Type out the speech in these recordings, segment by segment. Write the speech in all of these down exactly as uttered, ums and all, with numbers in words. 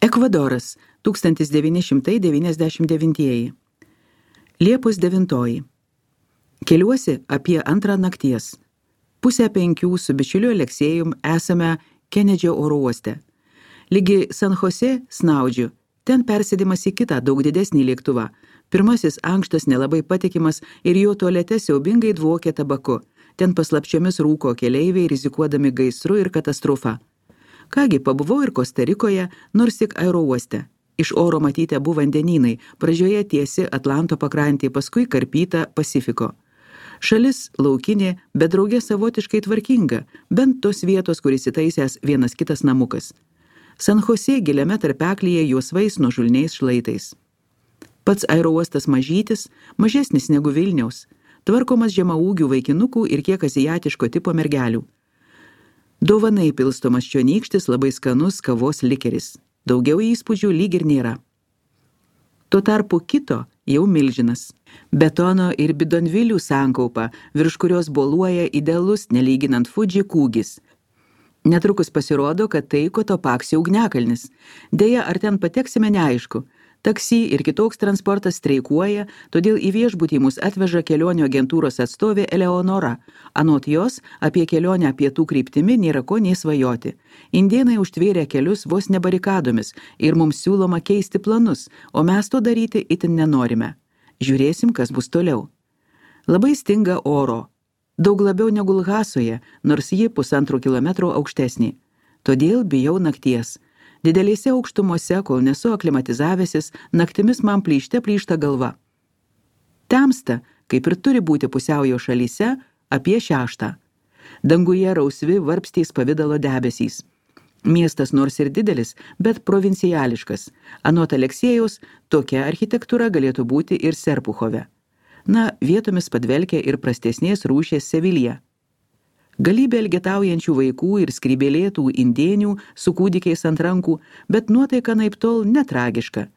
Ekvadoras, tūkstantis devyni šimtai devyniasdešimt devinti. Liepos devintoji. Keliuosi apie antrą nakties. Pusę penkių su bičiuliu Aleksėjum esame Kenedžio oro uoste. Lygi San Jose snaudžiu, ten persėdimas į kitą daug didesnį lėktuvą. Pirmasis ankštas nelabai patikimas ir jo tualete siaubingai dvokė tabaku. Ten paslapčiomis rūko keleiviai, rizikuodami gaisru ir katastrofa. Kągi, pabuvau ir Kostarikoje, nors tik aerouoste. Iš oro matyti abu vandenynai, pradžioje tiesi Atlanto pakrantė, paskui karpyta Pasifiko. Šalis laukinė, bet draugė savotiškai tvarkinga, bent tos vietos, kur įsitaisęs vienas kitas namukas. San Jose giliame tarpeklyje juosvais nuožulniais šlaitais. Pats aerouostas mažytis, mažesnis negu Vilniaus, tvarkomas žemaūgių vaikinukų ir kiek aziatiško tipo mergelių. Dovanai pilstomas čionykštis, labai skanus kavos likeris. Daugiau įspūdžių lyg ir nėra. Tuo tarpu kito jau milžinas. Betono ir bidonvilių sankaupa, virš kurios boluoja idealus, nelyginant Fudži kūgis. Netrukus pasirodo, kad tai Kotopaksio ugniakalnis. Deja, ar ten pateksime neaišku. Taksi ir kitoks transportas streikuoja, todėl į viešbutį mus atveža kelionių agentūros atstovė Eleonora. Anot jos, apie kelionę pietų kryptimi nėra ko nei svajoti. Indėnai užtvėrė kelius vos ne barikadomis ir mums siūloma keisti planus, o mes to daryti itin nenorime. Žiūrėsim, kas bus toliau. Labai stinga oro. Daug labiau negu Lhasoje, nors ji pusantro kilometro aukštesnė. Todėl bijau nakties. Didelėse aukštumose, kol nesu aklimatizavęsis, naktimis man plyšte plyšta galva. Temsta, kaip ir turi būti pusiaujo šalyse, apie šeštą. Danguje rausvi varpstys pavidalo debesys. Miestas nors ir didelis, bet provinciališkas. Anot Aleksėjaus, tokia architektūra galėtų būti ir Serpuchove. Na, vietomis padvelkia ir prastesnės rūšies Sevilija. Galybė elgetaujančių vaikų ir skrybėlėtų indėnių su kūdikiais ant rankų, bet nuotaika naiptol netragiška.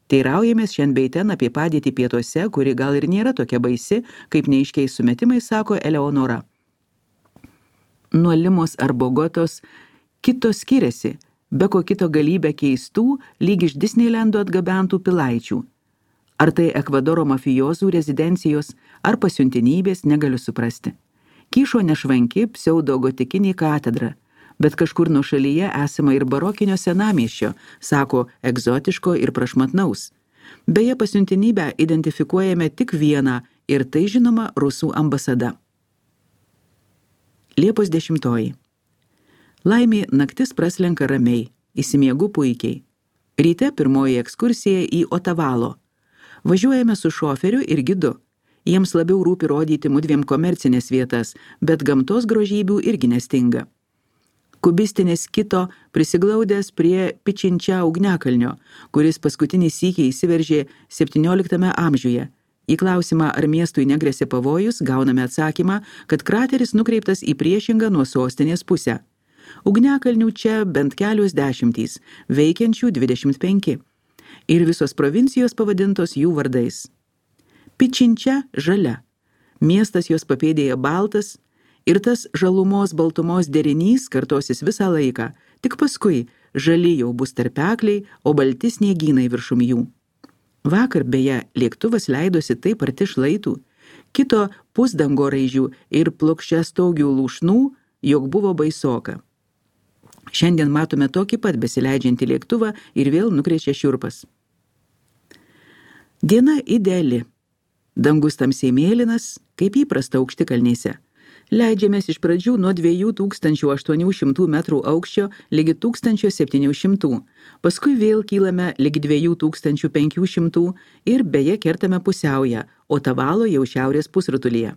Teiraujamės šiandien bei ten apie padėtį pietuose, kuri gal ir nėra tokia baisi, kaip neaiškiais sumetimais sako Eleonora. Nuo Limos ar Bogotos kito skiriasi, be ko kito galybė keistų, lyg iš Disneylando atgabentų pilaičių. Ar tai Ekvadoro mafijozų rezidencijos, ar pasiuntinybės, negaliu suprasti. Kyšo nešvanki pseudo-gotikinį katedrą, bet kažkur nuo šalyje esama ir barokinio senamiesčio, sako egzotiško ir prašmatnaus. Beje, pasiuntinybę identifikuojame tik vieną ir tai žinoma Rusų ambasada. Liepos dešimtoji. Laimė naktis praslenka ramiai, įsimiegu puikiai. Ryte pirmoji ekskursija į Otavalo. Važiuojame su šoferiu ir gidu. Jiems labiau rūpi rodyti mudviem komercinės vietas, bet gamtos grožybių irgi nestinga. Kubistinės kito prisiglaudęs prie Pičinčia ugniakalnio, kuris paskutinį sykį įsiveržė septynioliktame amžiuje. Į klausimą, ar miestui negresia pavojus, gauname atsakymą, kad krateris nukreiptas į priešingą nuo sostinės pusę. Ugniakalnių čia bent kelios dešimtys, veikiančių dvidešimt penki. Ir visos provincijos pavadintos jų vardais. Pičinčia žalia. Miestas jos papėdėje baltas ir tas žalumos baltumos derinys kartosis visą laiką, tik paskui žali jau bus tarpekliai, o balti sniegynai viršum jų. Vakar beje lėktuvas leidosi taip arti šlaitų, kito pusdangoraižių ir plokščiastaugių lūšnų, jog buvo baisoka. Šiandien matome tokį pat besileidžiantį lėktuvą ir vėl nukrečia šiurpas. Diena ideali. Dangus tamsiai mėlynas, kaip įprasta aukštikalnėse. Leidžiamės iš pradžių nuo dviejų tūkstančių aštuonių šimtų metrų aukščio ligi tūkstančio septynių šimtų, paskui vėl kylame ligi dviejų tūkstančių penkių šimtų ir beje kertame pusiaują, Otavalo jau šiaurės pusrutulyje.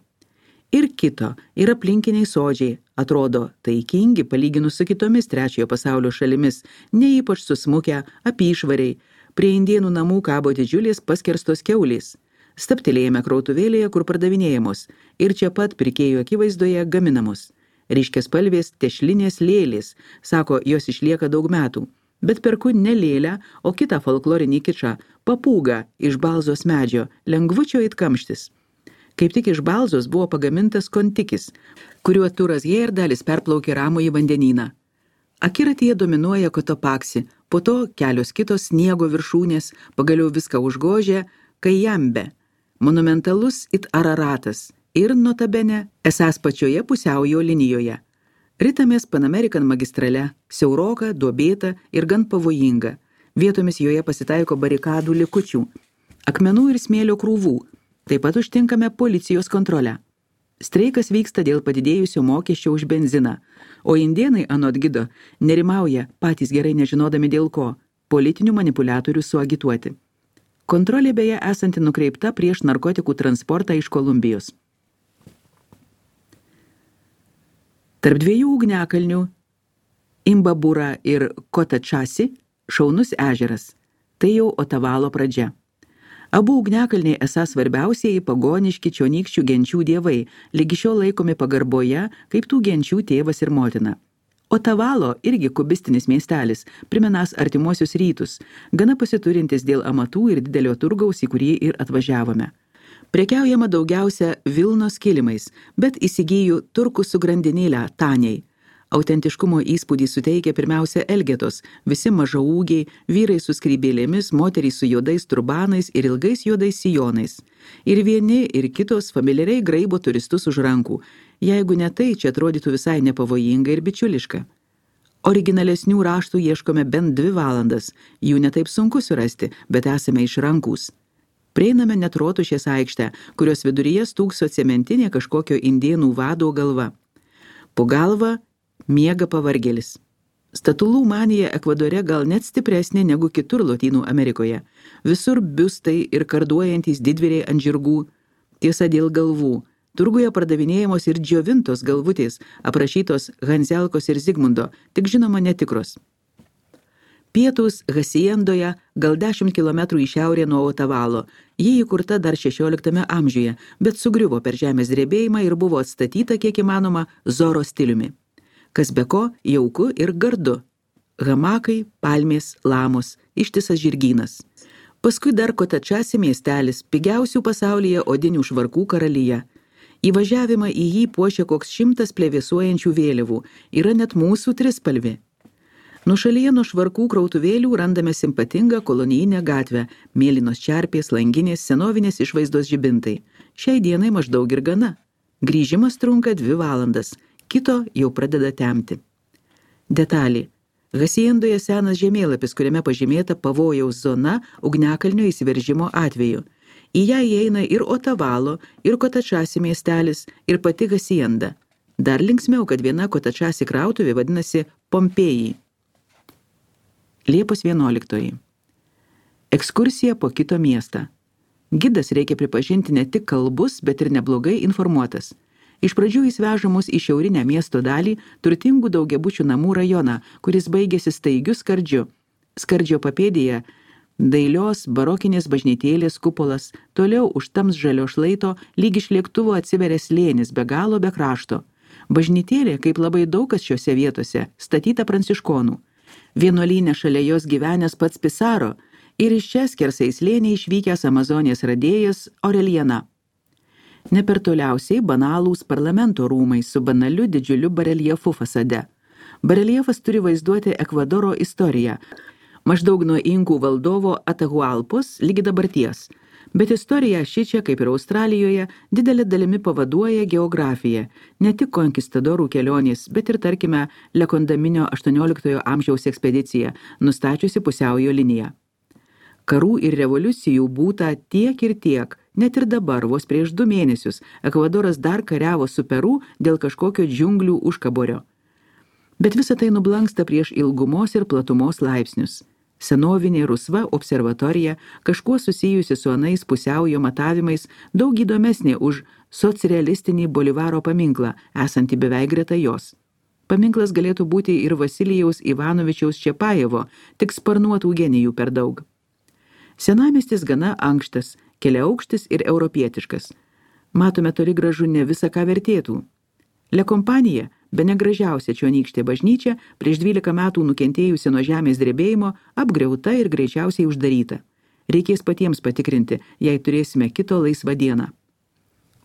Ir kito, ir aplinkiniai sodžiai, atrodo taikingi palyginus su kitomis trečiojo pasaulio šalimis, ne ypač susmukę, apyšvariai, prie indėnų namų kabo didžiulės paskerstos kiaulės. Staptelėjame krautuvėlėje, kur pardavinėjamos, ir čia pat pirkėjų akivaizdoje gaminamos. Ryškiaspalvės tešlinės lėlės, sako, jos išlieka daug metų, bet perku ne lėlę, o kitą folklorinį kičą, papūgą iš balzos medžio, lengvučio it kamštis. Kaip tik iš balzos buvo pagamintas kontikis, kuriuo Turas Hejerdalis perplaukė Ramųjį vandenyną. Akiratyje dominuoja Kotopaksi, po to kelios kitos sniego viršūnės, pagaliau viską užgožė Kajambe, monumentalus it Araratas ir notabene esąs pačioje pusiaujo linijoje. Ritamės Pan American magistrale, siauroka, duobėta ir gan pavojinga. Vietomis joje pasitaiko barikadų likučių, akmenų ir smėlio krūvų, taip pat užtinkame policijos kontrolę. Streikas vyksta dėl padidėjusio mokesčio už benziną, o indėnai anot gido nerimauja, patys gerai nežinodami dėl ko, politinių manipuliatorių suagituoti. Kontrolė beje esanti nukreipta prieš narkotikų transportą iš Kolumbijos. Tarp dviejų ugniakalnių, Imbabura ir Kotačasi, šaunus ežeras. Tai jau Otavalo pradžia. Abu ugniakalniai esą svarbiausieji pagoniški čionykščių genčių dievai, lygi šiol laikomi pagarboje kaip tų genčių tėvas ir motina. Otavalo irgi kubistinis miestelis, primenąs artimuosius rytus, gana pasiturintis dėl amatų ir didelio turgaus, į kurį ir atvažiavome. Prekiaujama daugiausia Vilnos kilimais, bet įsigyju turkų su grandinėlę taniai. Autentiškumo įspūdį suteikia pirmiausia Elgetos, visi mažaūgiai, vyrai su skrybėlėmis, moterys su juodais turbanais ir ilgais juodais sijonais. Ir vieni, ir kitos familiariai graibo turistus už rankų. Jeigu ne tai, čia atrodytų visai nepavojinga ir bičiuliška. Originalesnių raštų ieškome bent dvi valandas, jų netaip sunku surasti, bet esame išrankūs. Prieiname net Rotušės aikštę, kurios viduryje stūkso cementinė kažkokio indėnų vado galva. Po galva miega pavargėlis. Statulų manija Ekvadore gal net stipresnė negu kitur Lotynų Amerikoje. Visur biustai ir karduojantys didvyriai ant žirgų. Tiesa dėl galvų. Turguje pardavinėjamos ir džiovintos galvutės, aprašytos Hanzelkos ir Zigmundo, tik žinoma netikros. Pietus Hasiendoje, gal dešimt kilometrų į šiaurę nuo Otavalo. Ji įkurta dar šešioliktame amžiuje, bet sugriuvo per žemės drebėjimą ir buvo atstatyta kiek įmanoma Zoro stiliumi. Kas be ko, jauku ir gardu. Hamakai, palmės, lamos, ištisas žirgynas. Paskui dar Kotačasi miestelis, pigiausių pasaulyje odinių švarkų karalyje. Įvažiavimą į jį puošia koks šimtas plevėsuojančių vėliavų, yra net mūsų trispalvi. Nušalyje nuo švarkų krautuvėlių randame simpatingą kolonijinę gatvę, mėlynos čerpės, langinės, senovinės išvaizdos žibintai. Šiai dienai maždaug ir gana. Grįžimas trunka dvi valandas. Kito jau pradeda temti. Detalė. Hasiendoje senas žemėlapis, kuriame pažymėta pavojaus zona ugniakalnio įsiveržimo atveju. Į ją įeina ir Otavalo, ir Kotačasi miestelis, ir pati Hasienda. Dar linksmiau, kad viena Kotačasi krautuvė vadinasi Pompėjai. Liepos vienuoliktoji. Ekskursija po kito miestą. Gidas, reikia pripažinti, ne tik kalbus, bet ir neblogai informuotas. Iš pradžių jis veža mus į šiaurinę miesto dalį, turtingų daugiabučių namų rajoną, kuris baigėsi staigiu skardžiu. Skardžio papėdėje dailios barokinės bažnytėlės kupolas, toliau už tams žalio šlaito lyg iš lėktuvo atsiveria slėnis be galo be krašto. Bažnytėlė, kaip labai daug kas šiose vietose, statyta pranciškonų. Vienuolyne šalia jos gyvenęs pats Pisaro ir iš čia skersai slėnį išvykęs Amazonės radėjas Aureliana. Ne per toliausiai banalūs parlamento rūmai su banaliu didžiuliu bareljefu fasade. Bareljefas turi vaizduoti Ekvadoro istoriją, maždaug nuo inkų valdovo Atahualpos lygi dabarties, bet istorija šičia, kaip ir Australijoje, didelė dalimi pavaduoja geografiją, ne tik konkistadorų kelionės, bet ir, tarkime, Lekondaminio aštuonioliktojo amžiaus ekspedicija, nustačiusi pusiaujo liniją. Karų ir revoliucijų būta tiek ir tiek, net ir dabar, vos prieš du mėnesius, Ekvadoras dar kariavo su Peru dėl kažkokio džiunglių užkaborio. Bet visa tai nublanksta prieš ilgumos ir platumos laipsnius. Senovinė rusva observatorija, kažkuo susijusi su anais pusiaujo matavimais, daug įdomesnė už socrealistinį Bolivaro paminklą, esantį beveik greta jos. Paminklas galėtų būti ir Vasilijaus Ivanovičiaus Čepajevo, tik sparnuotų genijų per daug. Senamiestis gana ankštas, keliaaukštis ir europietiškas. Matome toli gražu ne visą, ką vertėtų. Le Kompanija, bene gražiausia čionykštė bažnyčia, prieš dvylika metų nukentėjusi nuo žemės drebėjimo, apgriauta ir greičiausiai uždaryta. Reikės patiems patikrinti, jei turėsime kito laisvą dieną.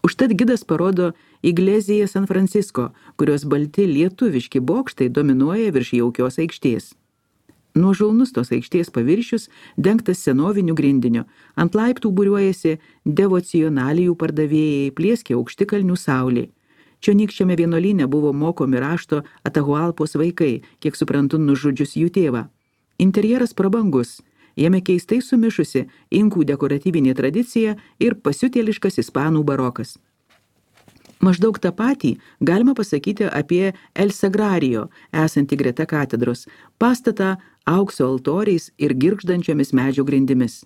Užtat gidas parodo Igleziją San Francisco, kurios balti lietuviški bokštai dominuoja virš jaukios aikštės. Nuožulnus tos aikštės paviršius dengtas senoviniu grindiniu, ant laiptų būriuojasi devocionalijų pardavėjai, plieskė aukštikalnių saulė. Čionykščiame vienuolyne buvo mokomi rašto Atahualpos vaikai, kiek suprantu, nužudžius jų tėvą. Interjeras prabangus, jame keistai sumišusi inkų dekoratyvinė tradicija ir pasiutėliškas ispanų barokas. Maždaug tą patį galima pasakyti apie El Sagrario, esantį greta katedros, pastatą aukso altoriais ir girgždančiomis medžio grindimis.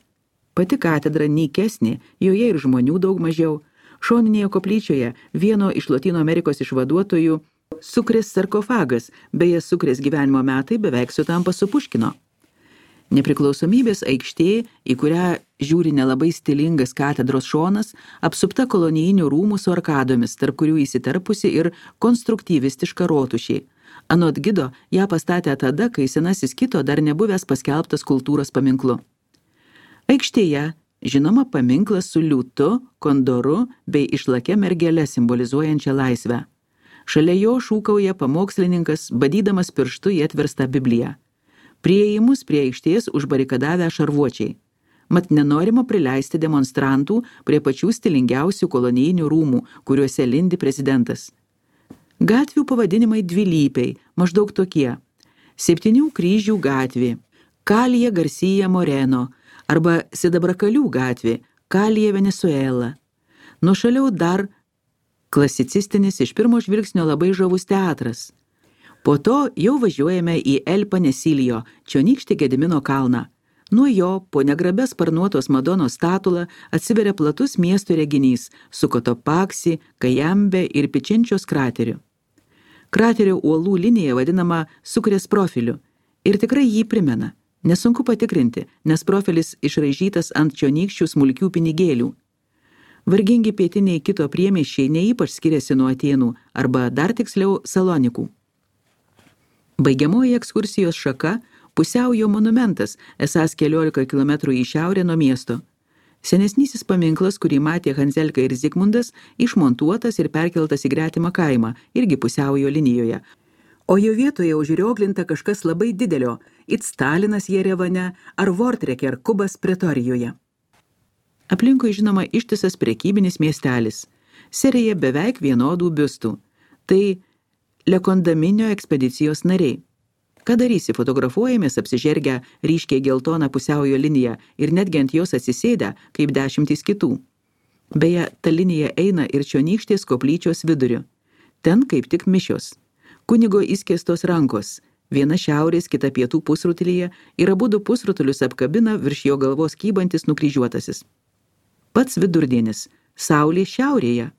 Pati katedra nykesnė, joje ir žmonių daug mažiau. Šoninėje koplyčioje vieno iš Lotynų Amerikos išvaduotojų Sukrės sarkofagas, beje Sukrės gyvenimo metai beveik sutampa su Puškino. Nepriklausomybės aikštė, į kurią žiūri nelabai stilingas katedros šonas, apsupta kolonijinių rūmų su arkadomis, tarp kurių įsiterpusi ir konstruktyvistiška rotušė. Anot gido ją pastatė tada, kai senasis kito dar nebuvęs paskelbtas kultūros paminklu. Aikštėje žinoma paminklas su liūtu, kondoru bei išlakia mergele simbolizuojančia laisvę. Šalia jo šūkauja pamokslininkas, badydamas pirštu į atverstą Bibliją. Priėjimus prie aikštės užbarikadavę šarvuočiai. Mat nenorima prileisti demonstrantų prie pačių stilingiausių kolonijinių rūmų, kuriuose lindi prezidentas. Gatvių pavadinimai dvilypiai, maždaug tokie. Septynių kryžių gatvė, Kalija Garcia Moreno arba Sidabrakalių gatvė, Kalija Venezuela. Nuošaliau dar klasicistinis iš pirmo žvilgsnio labai žavus teatras. Po to jau važiuojame į El Panesilio, čionykštį Gedimino kalną. Nuo jo po negrabę sparnuotos Madonos statulą atsiveria platus miesto reginys su Kotopaksi, Kajambe ir Pičinčios krateriu. Kraterio uolų linija vadinama Sukrės profiliu ir tikrai jį primena. Nesunku patikrinti, nes profilis išraižytas ant čionykščių smulkių pinigėlių. Vargingi pietiniai kito priemiesčiai neįpač skiriasi nuo Atėnų arba dar tiksliau Salonikų. Baigiamoji ekskursijos šaka pusiaujo monumentas, esąs keliolika kilometrų į šiaurę nuo miesto. Senesnysis paminklas, kurį matė Hanzelka ir Zigmundas, išmontuotas ir perkeltas į gretimą kaimą, irgi pusiaujo linijoje. O jo vietoje užrioglinta kažkas labai didelio, it Stalinas Jerevane ar Vortreker Kubas Pretorijoje. Aplinkui žinoma ištisas prekybinis miestelis, serija beveik vienodų biustų. Tai Lekondaminio ekspedicijos nariai. Ką darysi, fotografuojamės apsižergę ryškiai geltoną pusiaujo liniją ir netgi ant jos atsisėdę, kaip dešimtys kitų. Beje, ta linija eina ir čionykštės koplyčios viduriu. Ten kaip tik mišios. Kunigo įskėstos rankos, viena šiaurės, kita pietų pusrutulyje ir abudu pusrutulius apkabina virš jo galvos kybantis nukryžiuotasis. Pats vidurdienis, saulė šiaurėje.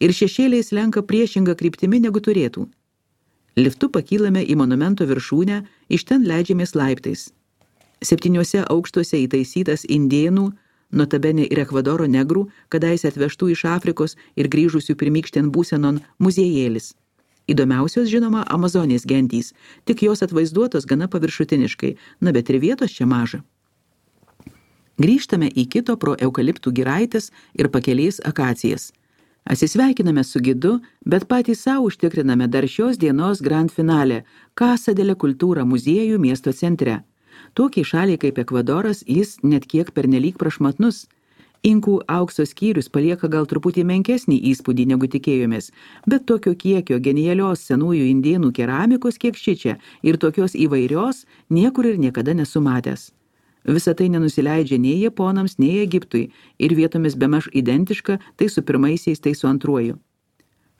Ir šešėliai slenka priešingą kryptimi negu turėtų. Liftu pakylame į monumento viršūnę, iš ten leidžiamės laiptais. Septyniuose aukštuose įtaisytas indėnų, notabene ir Ekvadoro negrų, kadaise atvežtų iš Afrikos ir grįžusių pirmykštien būsenon muziejėlis. Įdomiausios žinoma Amazonės gentys, tik jos atvaizduotos gana paviršutiniškai, na bet ir vietos čia maža. Grįžtame į kito pro eukaliptų giraitės ir pakeliais akacijas. Atsisveikiname su gidu, bet patys savo užtikriname dar šios dienos grand finale Casa de la Cultura muziejų miesto centre. Tokiai šaliai kaip Ekvadoras jis net kiek pernelyg prašmatnus. Inkų aukso skyrius palieka gal truputį menkesnį įspūdį negu tikėjomės, bet tokio kiekio genialios senųjų indėnų keramikos kiek šičia ir tokios įvairios niekur ir niekada nesumatęs. Visa tai nenusileidžia nei Japonams, nei Egiptui ir vietomis bemaž identiška tai su pirmaisiais, tai su antruoju.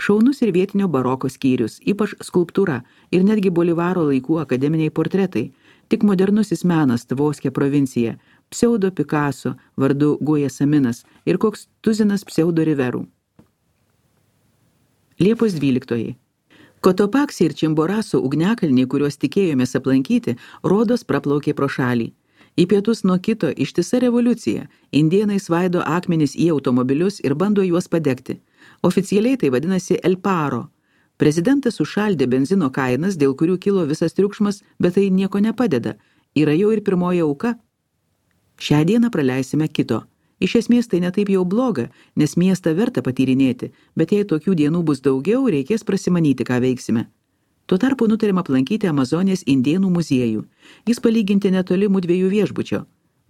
Šaunus ir vietinio baroko skyrius, ypač skulptūra ir netgi Bolivaro laikų akademiniai portretai, tik modernusis menas Tvoskė provincija, pseudo Picasso vardu Guja Saminas ir koks tuzinas pseudo Riverų. Liepos dvyliktoji. Kotopaksi ir Čimboraso ugniakalniai, kuriuos tikėjomės aplankyti, rodos praplaukė pro šalį. Į pietus nuo kito ištisa revoliucija. Indėnai svaido akmenis į automobilius ir bando juos padegti. Oficialiai tai vadinasi El Paro. Prezidentas užšaldė benzino kainas, dėl kurių kilo visas triukšmas, bet tai nieko nepadeda. Yra jau ir pirmoji auka. Šią dieną praleisime kito. Iš esmės tai netaip jau bloga, nes miestą verta patyrinėti, bet jei tokių dienų bus daugiau, reikės prasimanyti, ką veiksime. Tuo tarpu nutarėm aplankyti Amazonės indėnų muziejų. Jis palyginti netoli mudviejų viešbučio.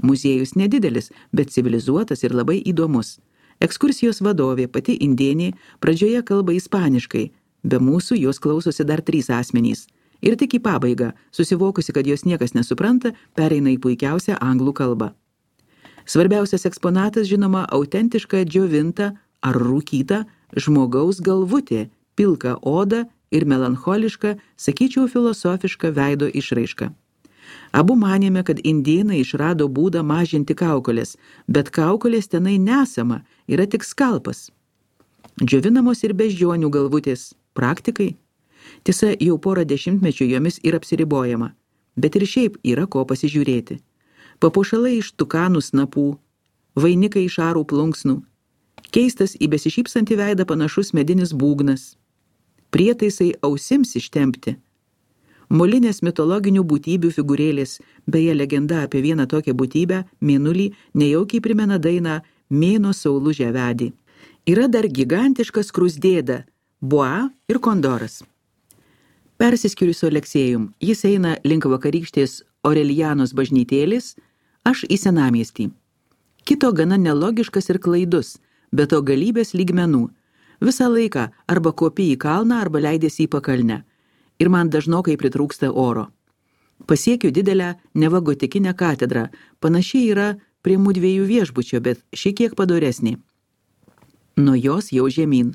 Muziejus nedidelis, bet civilizuotas ir labai įdomus. Ekskursijos vadovė, pati indėnė, pradžioje kalba ispaniškai. Be mūsų jos klausosi dar trys asmenys. Ir tik į pabaigą, susivokusi, kad jos niekas nesupranta, pereina į puikiausią anglų kalbą. Svarbiausias eksponatas, žinoma, autentiška džiovinta ar rūkyta žmogaus galvutė, pilka oda ir melancholiška, sakyčiau, filosofiška veido išraiška. Abu manėme, kad indėnai išrado būdą mažinti kaukolės, bet kaukolės tenai nesama, yra tik skalpas. Džiovinamos ir beždžionių galvutės, praktikai. Tiesa, jau porą dešimtmečių jomis ir apsiribojama, bet ir šiaip yra ko pasižiūrėti. Papuošalai iš tukanų snapų, vainikai iš arų plunksnų, keistas į besišypsantį veidą panašus medinis būgnas, prietaisai ausims ištempti, molinės mitologinių būtybių figūrėlės, beje legenda apie vieną tokią būtybę, mėnulį, nejaukiai primena dainą Mėno saulužę vedį. Yra dar gigantiškas krusdėda, boa ir kondoras. Persiskiriu su Aleksėjum, jis eina link vakarykštės Orelianos bažnytėlės, aš į senamiestį. Kito gana nelogiškas ir klaidus, bet to galybės lygmenų. Visą laiką arba kopi į kalną, arba leidėsi į pakalnę. Ir man dažnokai pritrūksta oro. Pasiekiu didelę neva gotikinę katedrą, panašiai yra prie mudviejų viešbučio, bet šiek tiek padoresnė. Nuo jos jau žemyn.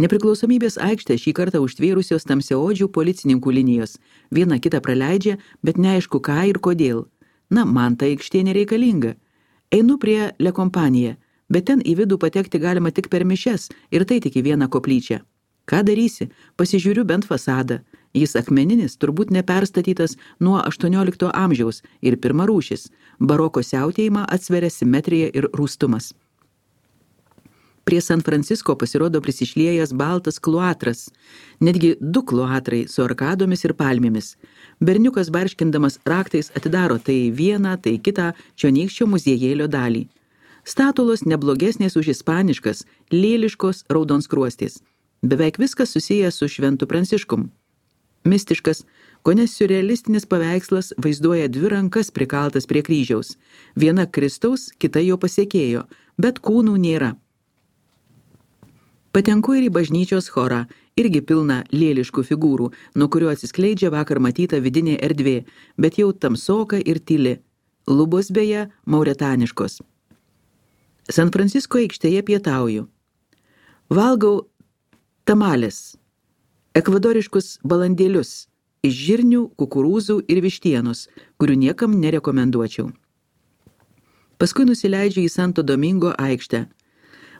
Nepriklausomybės aikštę šį kartą užtvėrusios tamsiaodžių policininkų linijos. Viena kitą praleidžia, bet neaišku ką ir kodėl. Na, man ta aikštė nereikalinga. Einu prie Le Compagnie, bet ten į vidų patekti galima tik per mišias ir tai tik į vieną koplyčią. Ką darysi? Pasižiūriu bent fasadą. Jis akmeninis, turbūt neperstatytas nuo aštuoniolikto amžiaus ir pirmarūšis. Baroko siautėjimą atsveria simetrija ir rūstumas. Prie San Francisco pasirodo prisišliejęs baltas kluatras, netgi du kluatrai su arkadomis ir palmėmis. Berniukas barškindamas raktais atidaro tai vieną, tai kitą čionykščio muziejėlio dalį. Statulos neblogesnės už ispaniškas, lėliškos raudonskruostės. Beveik viskas susijęs su Šventu Pranciškum. Mistiškas, kone siurrealistinis paveikslas vaizduoja dvi rankas prikaltas prie kryžiaus. Viena Kristaus, kita jo pasiekėjo, bet kūnų nėra. Patenku ir į bažnyčios chorą, irgi pilna lėliškų figūrų, nuo kurio atsiskleidžia vakar matyta vidinė erdvė, bet jau tamsoka ir tyli. Lubos beje mauretaniškos. San Francisco aikštėje pietauju. Valgau tamales, ekvadoriškus balandėlius, iš žirnių, kukurūzų ir vištienos, kurių niekam nerekomenduočiau. Paskui nusileidžiu į Santo Domingo aikštę.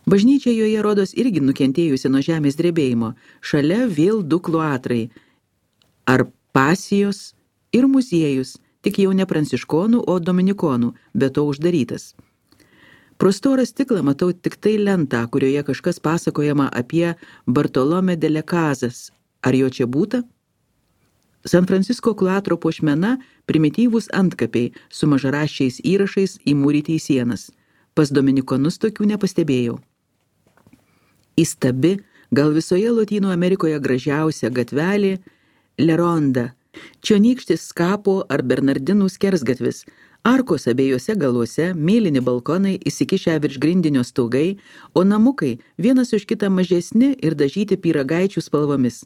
Bažnyčia joje rodos irgi nukentėjusi nuo žemės drebėjimo, šalia vėl du kluatrai, ar pasijos ir muziejus, tik jau ne pranciškonų, o dominikonų, bet to uždarytas. Pro storą stiklą matau tik tai lentą, kurioje kažkas pasakojama apie Bartolomé de las Casas. Ar jo čia būta? San Francisco kluatro puošmena primityvūs antkapiai su mažaraščiais įrašais įmūryti į sienas. Pas dominikonus tokių nepastebėjau. Įstabi, gal visoje Lotynų Amerikoje gražiausia gatvelė Le Ronda, čionykštis Skapo ar Bernardinų skersgatvis, arkos abiejose galuose, mėlyni balkonai įsikišę virš grindinio stogai, o namukai vienas už kitą mažesni ir dažyti pyragaičių spalvomis.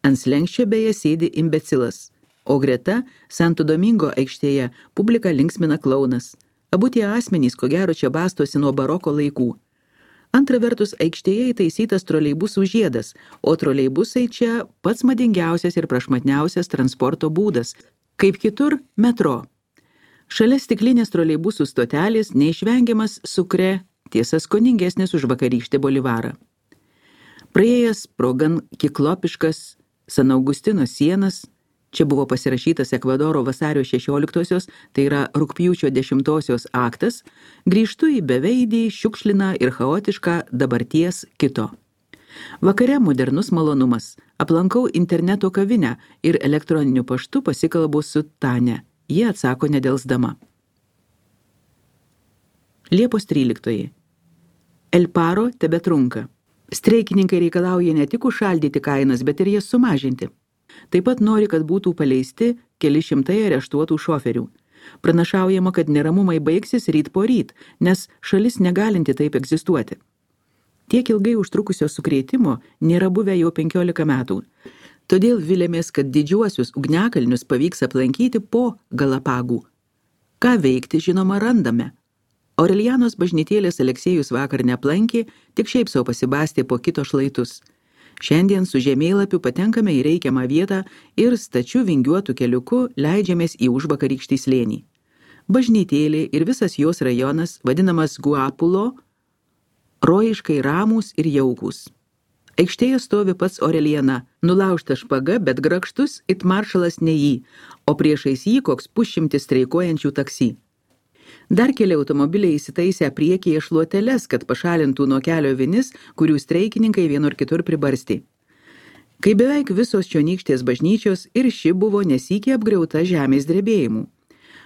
Ant slenksčio beje sėdi imbecilas, o greta Santo Domingo aikštėje publika linksmina klaunas. Abu tie asmenys, ko gero, čia bastosi nuo baroko laikų. Antra vertus, aikštėje įtaisytas troleibusų žiedas, o troleibusai čia pats madingiausias ir prašmatniausias transporto būdas, kaip kitur metro. Šalia stiklinės troleibusų stotelės neišvengiamas Sukre, tiesa skoningesnis už vakarykštį Bolivarą. Praėjęs pro gan kiklopiškas San Augustino sienas, čia buvo pasirašytas Ekvadoro vasario šešioliktosios, tai yra rugpjūčio dešimtosios aktas, grįžtu į beveidį, šiukšliną ir chaotišką dabarties kito. Vakare modernus malonumas. Aplankau interneto kavinę ir elektroniniu paštu pasikalbu su Tane. Ji atsako nedelsdama. Liepos tryliktoji. El paro tebetrunka. Streikininkai reikalauja ne tik užšaldyti kainas, bet ir jas sumažinti. Taip pat nori, kad būtų paleisti keli šimtai areštuotų šoferių. Pranašaujama, kad neramumai baigsis ryt po ryt, nes šalis negalinti taip egzistuoti. Tiek ilgai užtrukusio sukrėtimo nėra buvę jau penkiolika metų. Todėl vilėmės, kad didžiuosius ugniakalnius pavyks aplankyti po Galapagų. Ką veikti, žinoma, randame. Aurelianos bažnytėlės Aleksėjus vakar neaplankė, tik šiaip sau pasibastė po kito šlaitus. Šiandien su žemėlapiu patenkame į reikiamą vietą ir stačiu vingiuotų keliuku leidžiamės į užvakarykštį slėnį. Bažnytėlė ir visas jos rajonas, vadinamas Guapulo, rojiškai ramūs ir jaukūs. Aikštėje stovi pats Aureliana, nulaužta špaga, bet grakštus it maršalas ne jį, o priešais jį koks pusšimtis streikuojančių taksi. Dar keli automobiliai įsitaisę priekyje šluoteles, kad pašalintų nuo kelio vinis, kurių streikininkai vienur kitur pribarsti. Kai beveik visos čionykštės bažnyčios ir ši buvo nesykį apgriauta žemės drebėjimų.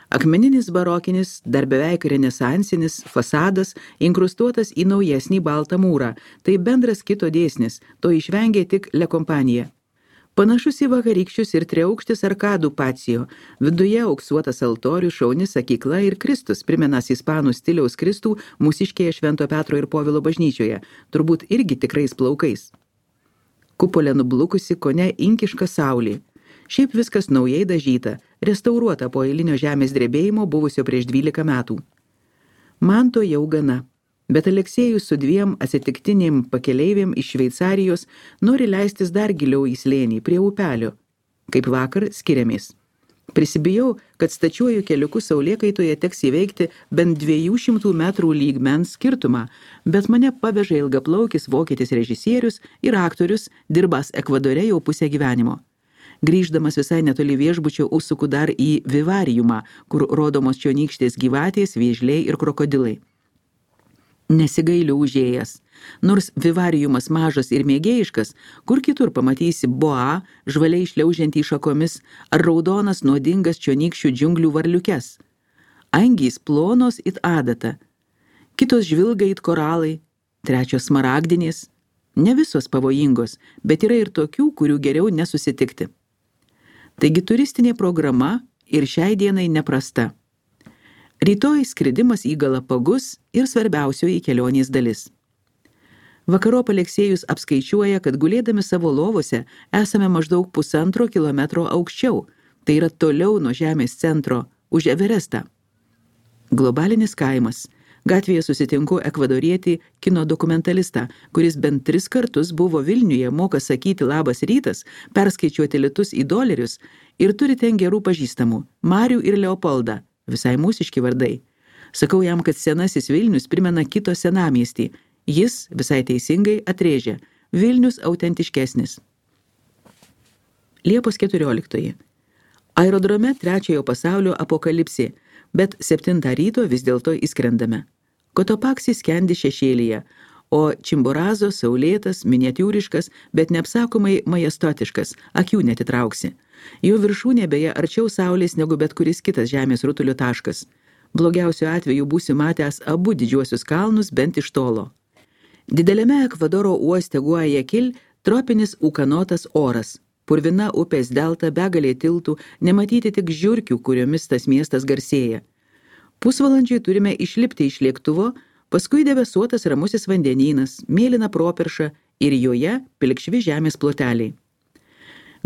Akmeninis barokinis, dar beveik renesansinis fasadas inkrustuotas į naujesnį baltą mūrą, tai bendras kito dėsnis, to išvengė tik Le Compagnie. Panašus į vakarykščius ir triaukštis arkadų pacijo, viduje auksuotas altorius, šauni sakykla ir Kristus, primenas ispanų stiliaus Kristų mūsiškėje Švento Petro ir Povilo bažnyčioje, turbūt irgi tikrais plaukais. Kupolė nublukusi, kone inkiška saulė. Šiaip viskas naujai dažyta, restauruota po eilinio žemės drebėjimo buvusio prieš dvylika metų. Man to jau gana. Bet Aleksėjus su dviem atsitiktinėm pakeleivėm iš Šveicarijos nori leistis dar giliau į slėnį, prie upelio. Kaip vakar skiriamės. Prisibijau, kad stačiuoju keliuku saulėkaitoje teks įveikti bent dviejų šimtų metrų lygmens skirtumą, bet mane paveža ilgaplaukis vokietis režisierius ir aktorius, dirbęs Ekvadore jau pusę gyvenimo. Grįždamas visai netoli viešbučio užsuku dar į vivariumą, kur rodomos čionykštės gyvatės, vėžliai ir krokodilai. Nesigailiu užėjęs. Nors vivariumas mažas ir mėgėjiškas, kur kitur pamatysi boa, žvaliai šliaužiantį šakomis, ar raudonas nuodingas čionykščių džiunglių varliukes. Angys plonos it adata, kitos žvilga it koralai, trečios smaragdinės. Ne visos pavojingos, bet yra ir tokių, kurių geriau nesusitikti. Taigi turistinė programa ir šiai dienai neprasta. Rytoj skridimas į Galapagus ir svarbiausioji kelionės dalis. Vakarop Aleksėjus apskaičiuoja, kad gulėdami savo lovose esame maždaug pusantro kilometro aukščiau, tai yra toliau nuo žemės centro, už Everestą. Globalinis kaimas. Gatvėje susitinku ekvadorietį kino dokumentalistą, kuris bent tris kartus buvo Vilniuje, moka sakyti labas rytas, perskaičiuoti litus į dolerius ir turi ten gerų pažįstamų, Marių ir Leopoldą. Visai mūsiški vardai. Sakau jam, kad senasis Vilnius primena kito senamiestį. Jis visai teisingai atrėžia. Vilnius autentiškesnis. Liepos keturioliktoji. Aerodrome trečiojo pasaulio apokalipsė, bet septintą ryto vis dėlto įskrendame. Kotopaksi skendi šešėlyje, o Čimborazo saulėtas, miniatiūriškas, bet neapsakomai majestotiškas, akių netitrauksi. Jo viršūnė beje arčiau saulės negu bet kuris kitas žemės rutulio taškas. Blogiausiu atveju būsi matęs abu didžiuosius kalnus bent iš tolo. Dideliame Ekvadoro uoste Guajakil tropinis ūkanotas oras. Purvina upės delta, begalė tiltų, nematyti tik žiurkių, kuriomis tas miestas garsėja. Pusvalandžiui turime išlipti iš lėktuvo, paskui debesuotas ramusis vandenynas, mėlyna properša ir joje pilkšvi žemės ploteliai.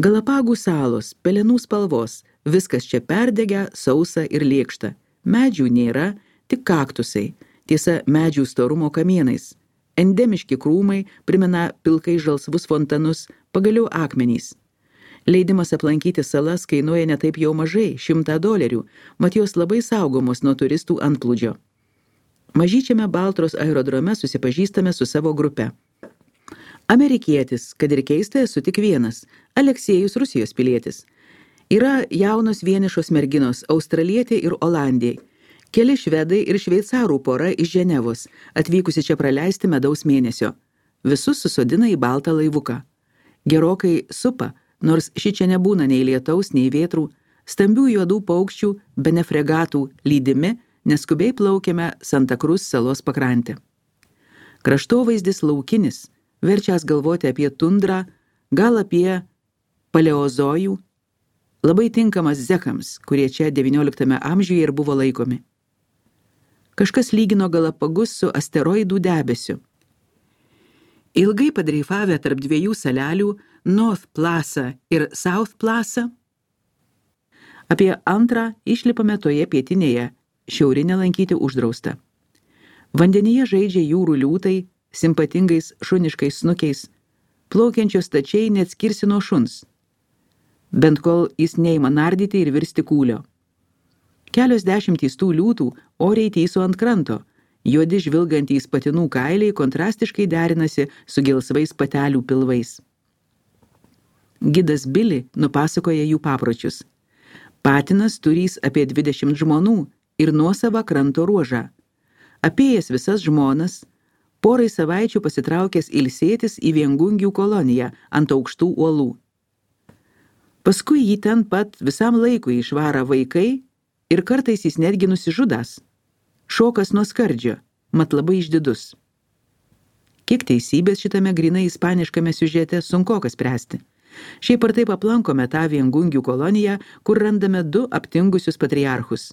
Galapagų salos, pelenų spalvos, viskas čia perdegę, sausa ir lėkšta. Medžių nėra, tik kaktusai, tiesa medžių storumo kamienais. Endemiški krūmai primena pilkai žalsvus fontanus, pagaliau akmenys. Leidimas aplankyti salas kainuoja ne taip jau mažai, šimtą dolerių, mat jos labai saugomos nuo turistų antplūdžio. Mažyčiame Baltros aerodrome susipažįstame su savo grupe. Amerikietis, kad ir keista, esu tik vienas, Aleksėjus Rusijos pilietis. Yra jaunos vienišos merginos, australietė ir olandė, keli švedai ir šveicarų pora iš Ženevos, atvykusi čia praleisti medaus mėnesio. Visus susodina į baltą laivuką. Gerokai supa, nors ši čia nebūna nei lietaus, nei vėtrų, stambių juodų paukščių, bene fregatų lydimi, neskubiai plaukėme Santa Cruz salos pakrantę. Kraštovaizdis laukinis, verčias galvoti apie tundrą, gal apie paleozojų, labai tinkamas zekams, kurie čia devynioliktame amžiuje ir buvo laikomi. Kažkas lygino Galapagus su asteroidų debesiu. Ilgai padreifavę tarp dviejų salelių, North Plaza ir South Plaza, apie antrą išlipame toje pietinėje, šiaurinę lankyti uždrausta. Vandenyje žaidžia jūrų liūtai, simpatingais šuniškais snukiais, plaukiančios stačiai neatskirsi nuo šuns, bent kol jis neima nardyti ir virsti kūlio. Kelios dešimtys tų liūtų oriai tyso ant kranto, juodi žvilgantys patinų kailiai kontrastiškai derinasi su gelsvais patelių pilvais. Gidas Billy nupasakoja jų papročius. Patinas turys apie dvidešimt žmonų ir nuosavą kranto ruožą. Apėjęs visas žmonas, porai savaičių pasitraukęs ilsėtis į viengungių koloniją ant aukštų uolų. Paskui jį ten pat visam laikui išvara vaikai ir kartais jis netgi nusižudas. Šokas nuo skardžio, mat labai išdidus. Kiek teisybės šitame grinai ispaniškame siužete sunkoka spręsti. Šiaip ar taip aplankome tą viengungių koloniją, kur randame du aptingusius patriarchus.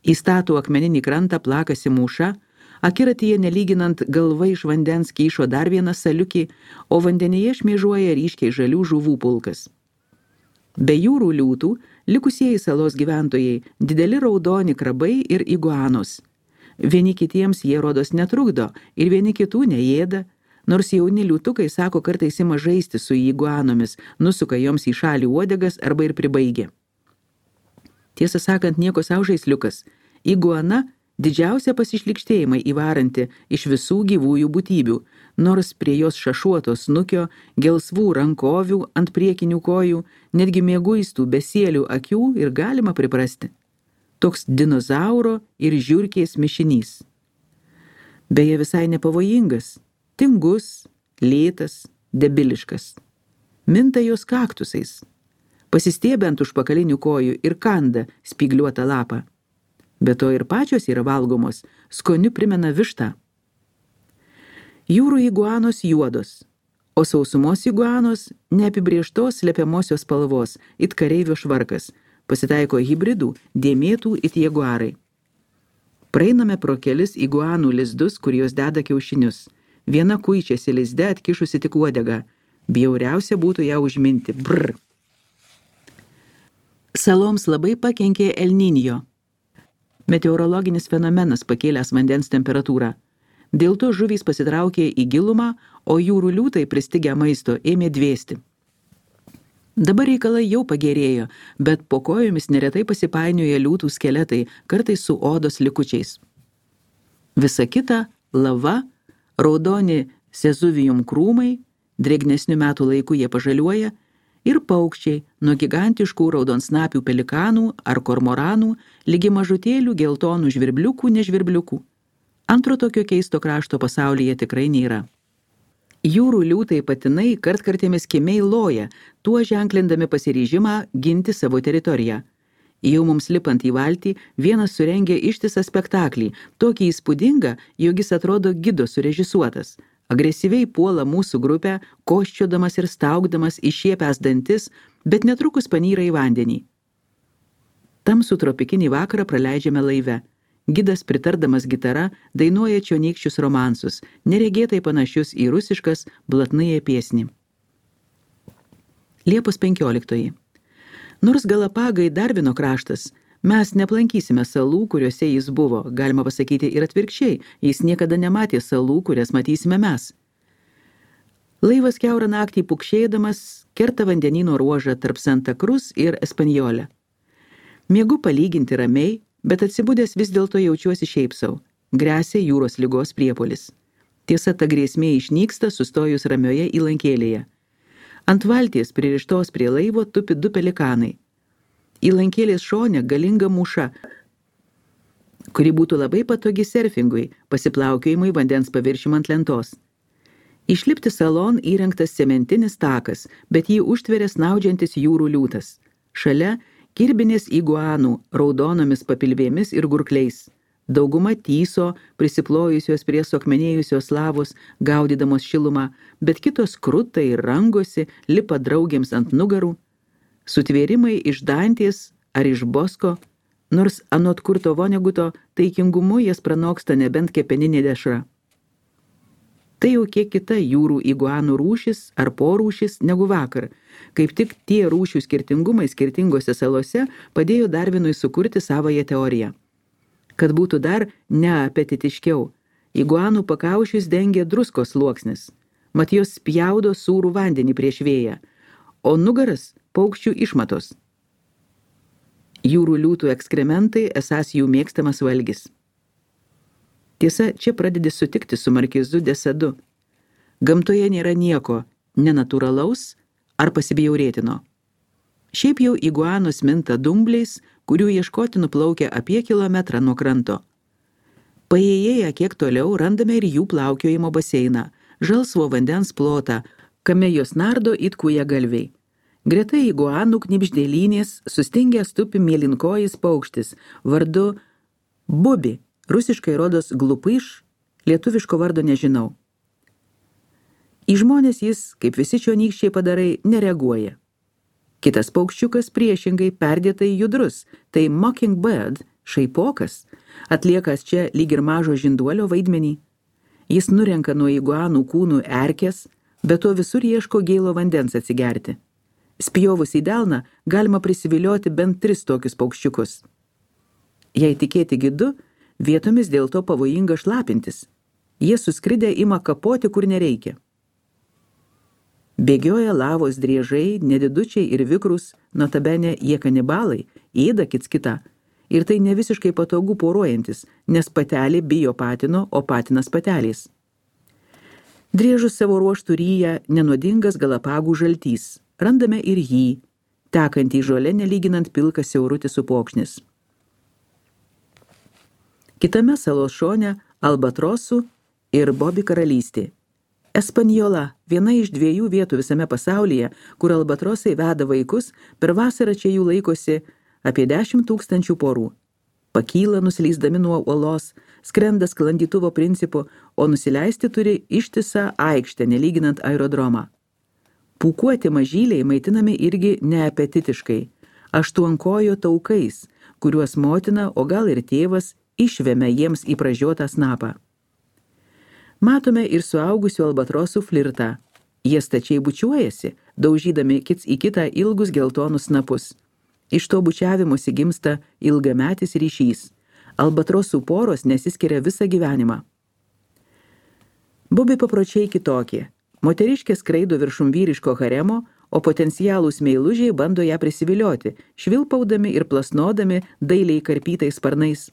Į statų akmeninį krantą plakasi mūša, akiratyje nelyginant galva iš vandens kyšo dar vieną saliukį, o vandenyje šmėžuoja ryškiai žalių žuvų pulkas. Be jūrų liūtų, likusieji salos gyventojai, dideli raudoni krabai ir iguanos. Vieni kitiems jie rodos netrukdo ir vieni kitų neėda, nors jauni liūtukai sako kartais ima žaisti su iguanomis, nusuka joms į šalį uodegas arba ir pribaigia. Tiesą sakant, nieko sau žaisliukas. Iguana didžiausia pasišlikštėjimai įvaranti iš visų gyvųjų būtybių, nors prie jos šašuoto snukio, gelsvų rankovių ant priekinių kojų, netgi mieguistų besėlių akių ir galima priprasti. Toks dinozauro ir žiurkės mišinys. Beje, visai nepavojingas, tingus, lėtas, debiliškas. Minta jos kaktusais, pasistiebia ant užpakalinių kojų ir kanda spygliuotą lapą. Be to ir pačios yra valgomos, skoniu primena vištą. Jūrų iguanos juodos, o sausumos iguanos neapibrėžtos slepiamosios spalvos, it kareivio švarkas, pasitaiko hibridų, dėmėtų it jaguarai. Praeiname pro kelis iguanų lizdus, kur jos deda kiaušinius. Viena kuičiasi lizde atkišusi tik uodegą. Bjauriausia būtų ją užminti. Brr. Saloms labai pakenkė El Niño. Meteorologinis fenomenas pakėlęs vandens temperatūrą. Dėl to žuvys pasitraukė į gilumą, o jūrų liūtai pristigę maisto ėmė dvėsti. Dabar reikalai jau pagerėjo, bet po kojomis neretai pasipainioja liūtų skeletai, kartais su odos likučiais. Visa kita – lava, raudoni sezuvijum krūmai, drėgnesnių metų laikų jie pažaliuoja, ir paukščiai nuo gigantiškų raudonsnapių pelikanų ar kormoranų ligi mažutėlių geltonų žvirbliukų nežvirbliukų. Antro tokio keisto krašto pasaulyje tikrai nėra. Jūrų liūtai patinai kartkartėmis kimiai loja, tuo ženklindami pasiryžimą ginti savo teritoriją. Jau mums lipant į valtį, vienas surengė ištisą spektaklį, tokį įspūdingą, jog jis atrodo gido surežisuotas. Agresyviai puola mūsų grupę, koščiodamas ir staugdamas išiepęs dantis, bet netrukus panyra į vandenį. Tamsų tropikinį vakarą praleidžiame laive. Gidas, pritardamas gitara, dainuoja čionykščius romansus, neregėtai panašius į rusiškas blatnąją piesnį. Liepos penkioliktoji. Nors Galapagai Darvino kraštas, mes neaplankysime salų, kuriuose jis buvo, galima pasakyti ir atvirkščiai, jis niekada nematė salų, kurias matysime mes. Laivas kiaurą naktį pukšėdamas kerta vandenyno ruožą tarp Santa Cruz ir Espanjolę. Miegu palyginti ramiai, bet atsibudęs vis dėlto jaučiuosi šiaip sau. Gresia jūros ligos priepuolis. Tiesa, ta grėsmė išnyksta sustojus ramioje įlankėlėje. Ant valties pririštos prie laivo tupi du pelikanai. Įlankėlės šone galinga mūša, kuri būtų labai patogi surfingui, pasiplaukiojimui vandens paviršium ant lentos. Išlipti salon įrengtas cementinis takas, bet jį užtveria snaudžiantis jūrų liūtas. Šalia kirbinės iguanų raudonomis papilvėmis ir gurkliais. Dauguma tyso, prisiplojusios prie suakmenėjusios lavos, gaudydamos šilumą, bet kitos kruta ir rangosi, lipa draugėms ant nugarų. Sutvėrimai iš Dantės ar iš Bosko, nors anot Kurto Voneguto taikingumu jas pranoksta nebent kepeninė dešra. Tai jau kiek kita jūrų iguanų rūšis ar porūšis negu vakar. Kaip tik tie rūšių skirtingumai skirtingose salose padėjo Darwinui sukurti savąją teoriją. Kad būtų dar neapetitiškiau, iguanų pakaušius dengia druskos sluoksnis, mat jos spjaudo sūrų vandenį prieš vėją, o nugaras paukščių išmatos. Jūrų liūtų ekskrementai esąs jų mėgstamas valgis. Tiesa, čia pradedi sutikti su Markizu de Sadu. Gamtoje nėra nieko nenatūralaus ar pasibjaurėtino. Šiaip jau iguanos minta dumbliais, kurių ieškoti nuplaukia apie kilometrą nuo kranto. Paėjėję kiek toliau randame ir jų plaukiojimo baseiną, žalsvo vandens plotą, kame jos nardo it kūjagalviai. Greta iguanų knibždėlynės sustingęs tupi mėlynkojis paukštis, vardu Bubi, rusiškai rodos glupyš, lietuviško vardo nežinau. Į žmonės jis, kaip visi čionykščiai padarai, nereaguoja. Kitas paukščiukas priešingai perdėtai judrus, tai mockingbird, šaipokas, atliekas čia lyg ir mažo žinduolio vaidmenį. Jis nurenka nuo iguanų kūnų erkes, bet to visur ieško gėlo vandens atsigerti. Spjovus į delną galima prisivilioti bent tris tokius paukščiukus. Jei tikėti gidu, vietomis dėl to pavojinga šlapintis. Jie suskridę ima kapoti, kur nereikia. Bėgioja lavos driežai, nedidučiai ir vikrus, notabene jie kanibalai, ėda kits kitą. Ir tai ne visiškai patogu poruojantis, nes patelė bijo patino, o patinas patelės. Driežus savo ruoštų ryja nenuodingas Galapagų žaltys. Randame ir jį, tekantį žole nelyginant pilkas siaurutis upokšnis. Kitame salos šone albatrosų ir Bobi karalystė. Espanjola, viena iš dviejų vietų visame pasaulyje, kur albatrosai veda vaikus, per vasarą čia jų laikosi apie dešimt tūkstančių porų. Pakyla nusileisdami nuo uolos, skrenda sklandytuvo principu, o nusileisti turi ištisą aikštę, nelyginant aerodromą. Pūkuoti mažyliai maitinami irgi neapetitiškai, aštuonkojo taukais, kuriuos motina, o gal ir tėvas, išvemia jiems į pražiotą snapą. Matome ir suaugusių albatrosų flirtą. Jie stačiai bučiuojasi, daužydami kits į kitą ilgus geltonus snapus. Iš to bučiavimuose gimsta ilgametis ryšys. Albatrosų poros nesiskiria visą gyvenimą. Bobi papročiai kitokie. Moteriškė skraido viršum vyriško haremo, o potencialūs meilužiai bando ją prisivilioti, švilpaudami ir plasnodami dailiai karpytais sparnais.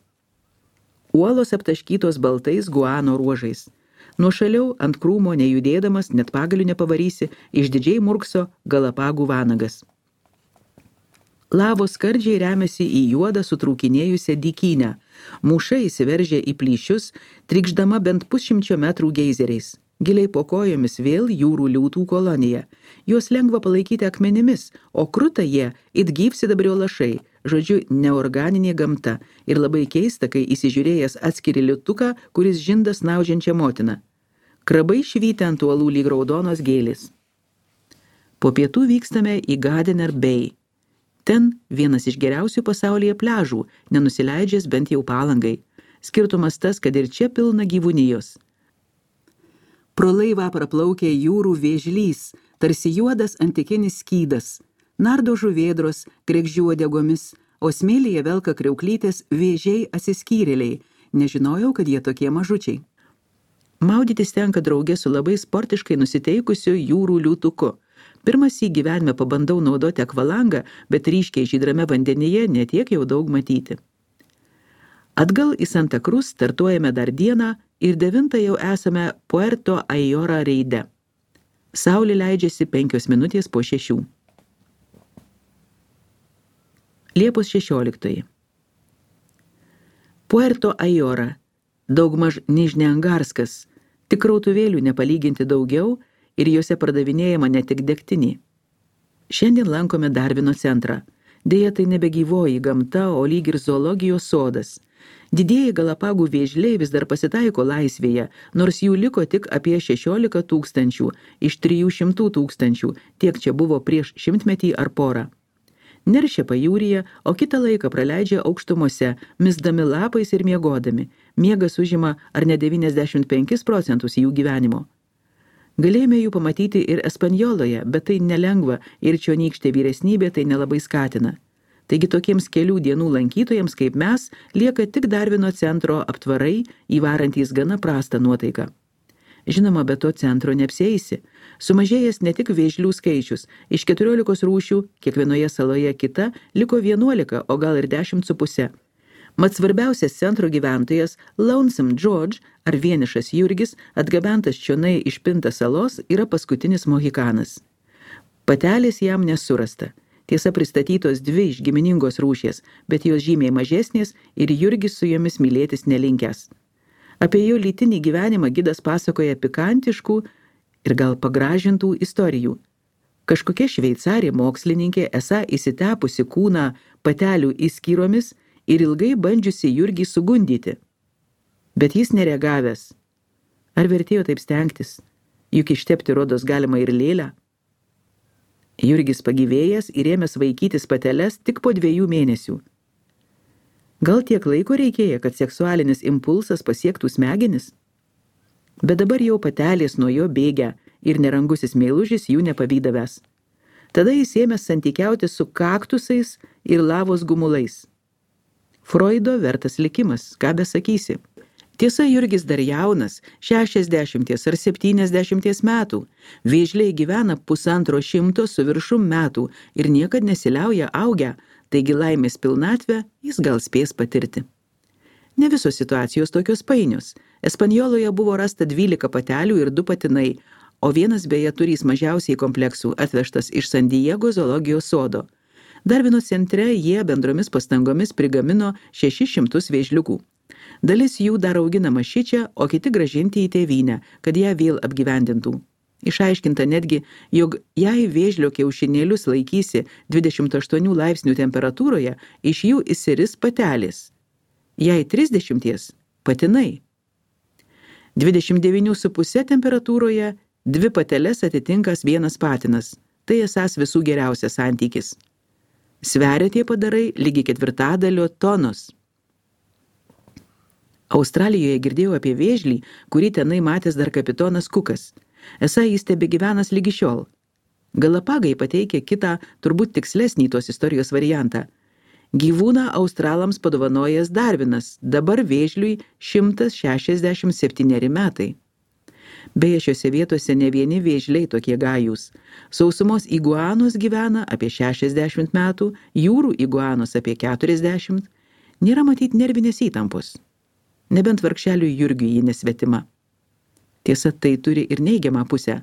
Uolos aptaškytos baltais guano ruožais. Nuošaliau ant krūmo nejudėdamas, net pagalių nepavarysi, išdidžiai murkso Galapagų vanagas. Lavos skardžiai remiasi į juodą sutrūkinėjusią dykynę. Mūša įsiveržia į plyšius, trykšdama bent pusšimčio metrų geizeriais. Giliai po kojomis vėl jūrų liūtų kolonija. Juos lengva palaikyti akmenimis, o kruta jie it gyvsidabrio lašai, žodžiu, neorganinė gamta, ir labai keista, kai įsižiūrėjęs atskiri liūtuką, kuris žinda snaudžiančią motiną. Krabai švyti ant uolų lyg raudonos gėlės. Po pietų vykstame į Gardiner Bay. Ten vienas iš geriausių pasaulyje pliažų, nenusileidžias bent jau Palangai. Skirtumas tas, kad ir čia pilna gyvūnijos. Pro laivą praplaukia jūrų vėžlys, tarsi juodas antikinis skydas. Nardo žuvėdros, kregždžių uodegomis, o smėlyje velka kriauklytės vėžiai atsiskyrėliai. Nežinojau, kad jie tokie mažučiai. Maudytis tenka drauge su labai sportiškai nusiteikusiu jūrų liūtuku. Pirmas į gyvenime pabandau naudoti akvalangą, bet ryškiai žydrame vandenyje netiek jau daug matyti. Atgal į Santa Cruz startuojame dar dieną ir devintą jau esame Puerto Ayora reide. Saulė leidžiasi penkios minutės po šešių. Liepos šešioliktoji. Puerto Ayora, daugmaž Nižneangarskas, tik krautuvėlių nepalyginti daugiau ir juose pardavinėjama ne tik degtinį. Šiandien lankome Darvino centrą. Deja, tai nebegyvoji gamta, o lyg ir zoologijos sodas. Didieji Galapagų vėžliai vis dar pasitaiko laisvėje, nors jų liko tik apie šešiolika tūkstančių iš trijų šimtų tūkstančių, tiek čia buvo prieš šimtmetį ar porą. Neršia pajūryje, o kitą laiką praleidžia aukštumose, misdami lapais ir miegodami. Miegas užima ar ne devyniasdešimt penkis procentus jų gyvenimo. Galėjome jų pamatyti ir Espanjoloje, bet tai nelengva ir čionykštė vyresnybė tai nelabai skatina. Taigi tokiems kelių dienų lankytojams kaip mes lieka tik Darvino centro aptvarai, įvarantys gana prastą nuotaiką. Žinoma, be to centro neapsieisi. Sumažėjęs ne tik vėžlių skaičius, iš keturiolikos rūšių, kiekvienoje saloje kita, liko vienuolika, o gal ir dešimt su puse. Mat svarbiausias centro gyventojas Lonesome George ar vienišas Jurgis, atgabentas čionai iš Pinta salos, yra paskutinis mohikanas. Patelės jam nesurasta. Tiesa, pristatytos dvi iš giminingos rūšies, bet jos žymiai mažesnės ir Jurgis su jomis mylėtis nelinkęs. Apie jo lytinį gyvenimą gidas pasakoja pikantiškų ir gal pagražintų istorijų. Kažkokia šveicarė mokslininkė esą įsitepusi kūną patelių įskyromis ir ilgai bandžiusi Jurgį sugundyti. Bet jis nereagavęs. Ar vertėjo taip stengtis? Juk ištepti rodos galima ir lėlę. Jurgis pagyvėjęs ir ėmęs vaikytis pateles tik po dviejų mėnesių. Gal tiek laiko reikėjo, kad seksualinis impulsas pasiektų smegenis? Bet dabar jau patelės nuo jo bėgia ir nerangusis meilužis jų nepavydavęs. Tada jis ėmęs santykiauti su kaktusais ir lavos gumulais. Freudo vertas likimas, ką besakysi. Tiesa, Jurgis dar jaunas, šešiasdešimties ar septyniasdešimties metų. Vėžliai gyvena pusantro šimto su viršum metų ir niekad nesiliauja augę, taigi laimės pilnatvę jis gal spės patirti. Ne visos situacijos tokios painios. Espanjoloje buvo rasta dvylika patelių ir du patinai, o vienas beje turys mažiausiai kompleksų atvežtas iš San Diego zoologijos sodo. Darvino centre jie bendromis pastangomis prigamino šešis šimtus vėžliukų. Dalis jų dar auginama šičia, o kiti gražinti į tėvynę, kad ją vėl apgyvendintų. Išaiškinta netgi, jog jei vėžlio kiaušinėlius laikysi dvidešimt aštuonių laipsnių temperatūroje, iš jų išsiris patelės. Jei trisdešimties – patinai. dvidešimt devynių su puse temperatūroje dvi pateles atitinkas vienas patinas. Tai esas visų geriausias santykis. Sveria tie padarai lygi ketvirtadalio tonos. Australijoje girdėjau apie vėžlį, kurį tenai matęs dar kapitonas Kukas. Esą jis tebegyvenas lygi šiol. Galapagai pateikia kitą, turbūt tikslesnį tos istorijos variantą. Gyvūną australams padovanojęs Darvinas, dabar vėžliui šimtas šešiasdešimt septyneri metai. Beje, šiose vietose ne vieni vėžliai tokie gajūs. Sausumos iguanos gyvena apie šešiasdešimt metų, jūrų iguanos apie keturiasdešimt. Nėra matyt nervinės įtampos. Nebent vargšeliui Jurgiui ji nesvetima. Tiesa, tai turi ir neigiamą pusę.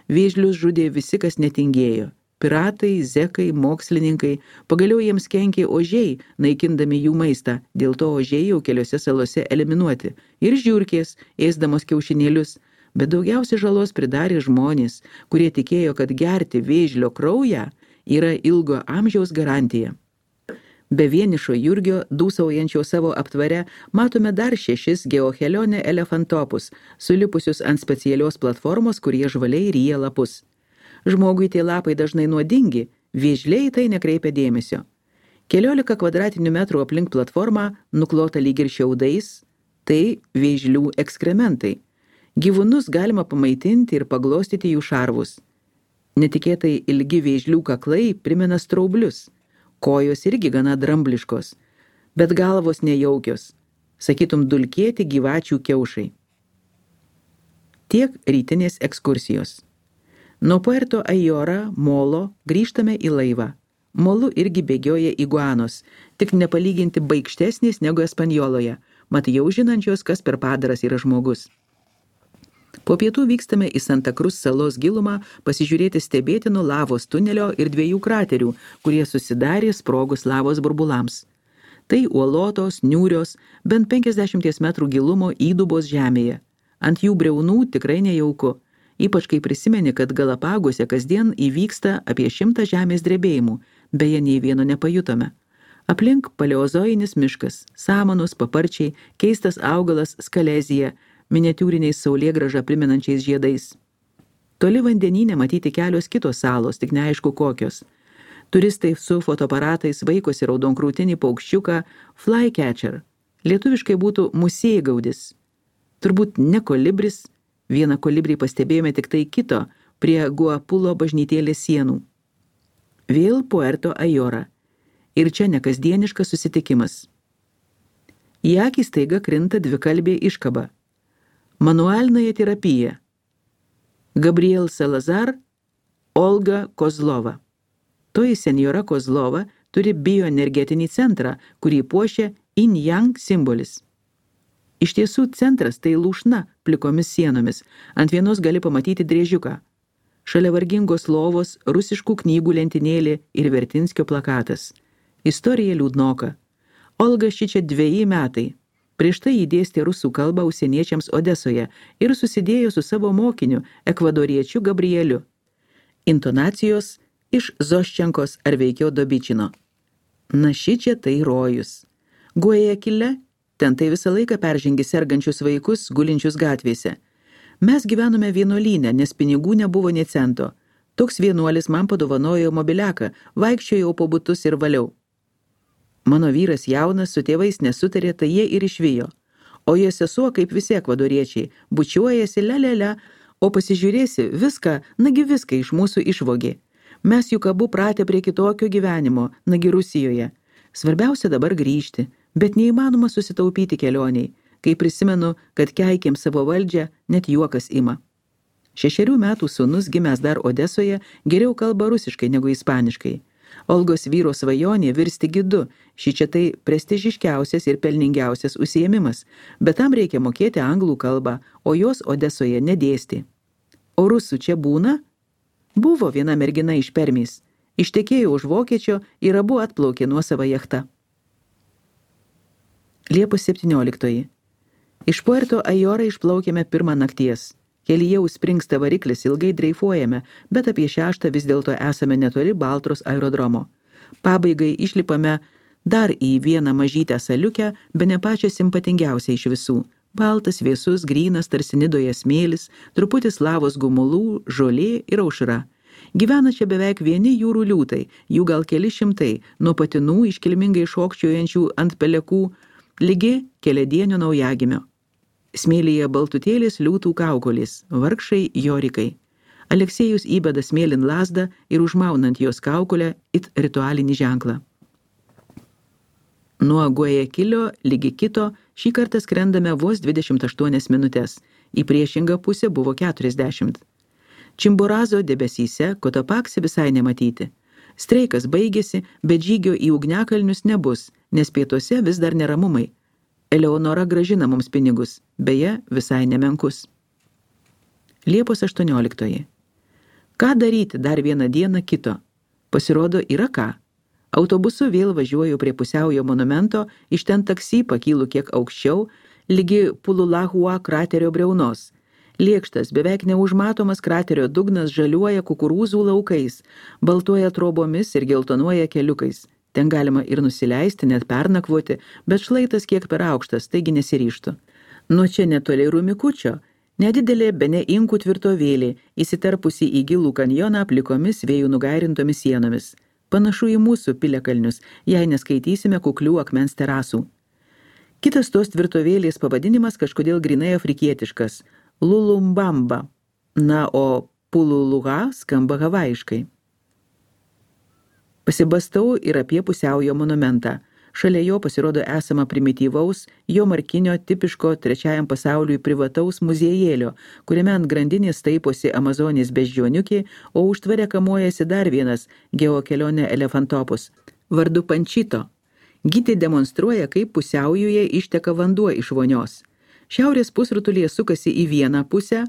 Vėžlius žudė visi, kas netingėjo. Piratai, zekai, mokslininkai, pagaliau jiems kenkė ožiai, naikindami jų maistą, dėl to ožiai jau keliose salose eliminuoti. Ir žiurkės, ėsdamos kiaušinėlius, bet daugiausia žalos pridarė žmonės, kurie tikėjo, kad gerti vėžlio kraują yra ilgo amžiaus garantija. Be vienišo Jurgio, dūsaujančio savo aptvare, matome dar šešis geohelionė elefantopus, sulipusius ant specialios platformos, kurie žvaliai ryja lapus. Žmogui tie lapai dažnai nuodingi, vėžliai tai nekreipia dėmesio. Keliolika kvadratinių metrų aplink platformą, nuklota lyg ir šiaudais, tai vėžlių ekskrementai. Gyvūnus galima pamaitinti ir paglostyti jų šarvus. Netikėtai ilgi vėžlių kaklai primena straublius. Kojos irgi gana drambliškos, bet galvos nejaukios, sakytum dulkėti gyvačių kiaušai. Tiek rytinės ekskursijos. Nuo Puerto Ayora, Molo, grįžtame į laivą. Molu irgi bėgioja iguanos, tik nepalyginti baikštesnės negu Espanjoloje, mat jau žinančios, kas per padaras yra žmogus. Po pietų vykstame į Santa Cruz salos gilumą pasižiūrėti stebėtino lavos tunelio ir dviejų kraterių, kurie susidarė sprogus lavos burbulams. Tai uolotos, niūrios, bent penkiasdešimties metrų gilumo įdubos žemėje. Ant jų briaunų tikrai nejauku, ypač kai prisimeni, kad Galapaguose kasdien įvyksta apie šimtą žemės drebėjimų, beje, nei vieno nepajutome. Aplink paleozoinis miškas, samanos, paparčiai, keistas augalas skalezija, miniatiūriniais saulėgrąžą primenančiais žiedais. Toli vandenyne matyti kelios kitos salos, tik neaišku kokios. Turistai su fotoaparatais vaikosi raudonkrūtinį paukščiuką flycatcher. Lietuviškai būtų musėgaudis. Turbūt ne kolibris, vieną kolibrį pastebėjome tik tai kito, prie Guapulo bažnytėlės sienų. Vėl Puerto Ayora. Ir čia nekasdieniškas susitikimas. Į akį staiga krinta dvikalbė iškaba. Manualinė terapija. Gabriel Salazar, Olga Kozlova. Toji senjora Kozlova turi bioenergetinį centrą, kurį puošia Yin-Yang simbolis. Iš tiesų centras tai lūšna plikomis sienomis. Ant vienos gali pamatyti driežiuką. Šalia vargingos lovos, rusiškų knygų lentynėlė ir Vertinskio plakatas. Istorija liūdnoka. Olga šičia dveji metai. Prieš tai įdėstė rusų kalbą užsieniečiams Odesoje ir susidėjo su savo mokiniu, ekvadoriečiu Gabrieliu. Intonacijos iš Zoščenkos ar veikiau Dobičino. Na šičia tai rojus. Guajakile, ten tai visą laiką peržengi sergančius vaikus, gulinčius gatvėse. Mes gyvenome vienuolyne, nes pinigų nebuvo nė cento. Toks vienuolis man padovanojo mobiliaką, vaikščiojau po butus ir valiau. Mano vyras jaunas, su tėvais nesutarė, tai jie ir išvijo. O jo sesuo, kaip visi ekvadoriečiai, bučiuojasi, lelele, o pasižiūrėsi, viską, nagi viską iš mūsų išvogė. Mes juk abu pratę prie kitokio gyvenimo, nagi Rusijoje. Svarbiausia dabar grįžti, bet neįmanoma susitaupyti kelioniai. Kai prisimenu, kad keikėm savo valdžią, net juokas ima. Šešerių metų sūnus, gimęs dar Odesoje, geriau kalba rusiškai negu ispaniškai. Olgos vyro svajonė virsti gidu, šičia tai prestižiškiausias ir pelningiausias užsiėmimas, bet tam reikia mokėti anglų kalbą, o jos Odesoje nedėsti. O rusų čia būna? Buvo viena mergina iš Permės. Ištekėjo už vokiečio ir abu atplaukė nuosavą jachtą. Liepos septynioliktoji. Iš Puerto Ayora išplaukėme pirmą nakties. Kelyje užspringsta variklis, ilgai dreifuojame, bet apie šeštą vis dėlto esame netoli Baltros aerodromo. Pabaigai išlipame dar į vieną mažytę saliukę, bene pačią simpatingiausią iš visų. Baltas, vėsus, grynas, tarsi Nidoje smėlis, truputis lavos gumulų, žolė ir aušra. Gyvena čia beveik vieni jūrų liūtai, jų gal keli šimtai, nuo patinų iškilmingai šokčiojančių ant pelekų, lygi keliadienio naujagimio. Smėlyje baltutėlės liūtų kaukolės, vargšai jorikai. Aleksėjus įbeda smėlin lazdą ir užmaunant jos kaukolę it ritualinį ženklą. Nuo Guajakilio ligi kito šį kartą skrendame vos dvidešimt aštuonias minutės, į priešingą pusę buvo keturiasdešimt. Čimborazo debesyse Kotopaksi visai nematyti. Streikas baigėsi, bet žygio į ugniakalnius nebus, nes pietuose vis dar neramumai. Eleonora gražina mums pinigus, beje, visai nemenkus. Liepos aštuonioliktoji. Ką daryti dar vieną dieną kito? Pasirodo, yra ką. Autobusu vėl važiuoju prie pusiaujo monumento, iš ten taksi pakylu kiek aukščiau, lygi Pululahua kraterio briaunos. Lėkštas, beveik neužmatomas kraterio dugnas žaliuoja kukurūzų laukais, baltuoja trobomis ir geltonuoja keliukais. Ten galima ir nusileisti, net pernakvoti, bet šlaitas kiek per aukštas, taigi nesiryštų. Nuo čia netoli Rumikučio, nedidelė bene inkų tvirtovėlė, įsiterpusi į gilų kanjoną aplikomis vėjų nugairintomis sienomis. Panašu į mūsų piliakalnius, jei neskaitysime kuklių akmens terasų. Kitas tos tvirtovėlės pavadinimas kažkodėl grinai afrikietiškas – Lulumbamba, na, o Pululuha skamba havaiškai. Pasibastau ir apie pusiaujo monumentą. Šalia jo pasirodo esama primityvaus, jo markinio tipiško trečiajam pasauliui privataus muziejėlio, kuriame ant grandinės taiposi Amazonės beždžioniukė, o užtvare kamuojasi dar vienas geokelionė elefantopus, vardu Pančito. Gidė demonstruoja, kaip pusiaujuje išteka vanduo iš vonios. Šiaurės pusrutulyje sukasi į vieną pusę,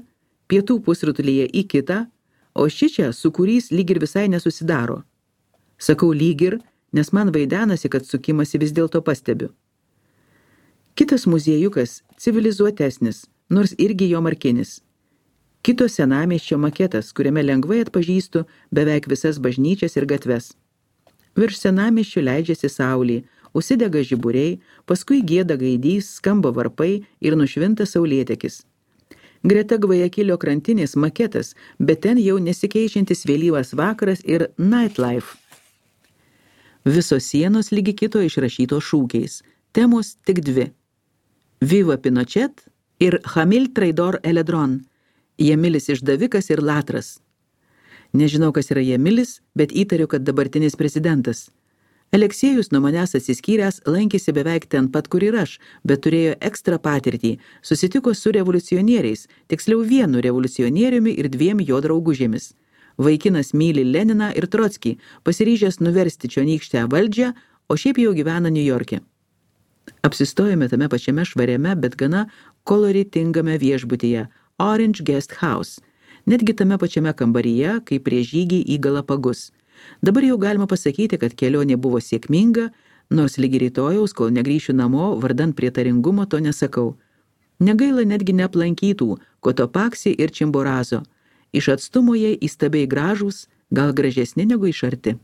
pietų pusrutulyje į kitą, o šičia sūkurys lyg ir visai nesusidaro. Sakau lyg ir, nes man vaidenasi, kad sukimasi vis dėlto pastebiu. Kitas muziejukas civilizuotesnis, nors irgi jo markinis. Kito senamiesčio maketas, kuriame lengvai atpažįstu beveik visas bažnyčias ir gatves. Virš senamiesčio leidžiasi saulė, užsidega žiburiai, paskui gieda gaidys, skamba varpai ir nušvinta saulėtekis. Greta Gvajakilio krantinės maketas, bet ten jau nesikeičiantis vėlyvas vakaras ir nightlife. Visos sienos lygi kito išrašytos šūkiais. Temos tik dvi. Viva Pinochet ir Hamil Traidor Eledron. Jamilis išdavikas ir latras. Nežinau, kas yra Jamilis, bet įtariu, kad dabartinis prezidentas. Aleksėjus nuo manęs atsiskyręs lankėsi beveik ten pat, kur ir aš, bet turėjo ekstra patirtį, susitiko su revoliucionieriais, tiksliau vienu revoliucionieriumi ir dviem jo draugužėmis. Vaikinas myli Leniną ir Trotskį, pasiryžęs nuversti čionykštę valdžią, o šiaip jau gyvena Niujorke. Apsistojome tame pačiame švariame, bet gana koloritingame viešbutyje Orange Guest House, netgi tame pačiame kambaryje, kaip prie žygį į Galapagus. Dabar jau galima pasakyti, kad kelionė buvo sėkminga, nors lygi rytojaus, kol negrįšiu namo, vardan prietaringumo to nesakau. Negaila netgi neaplankytų Kotopaksi ir Čimborazo. Iš atstumo jie įstabiai gražūs, gal gražesni negu iš arti.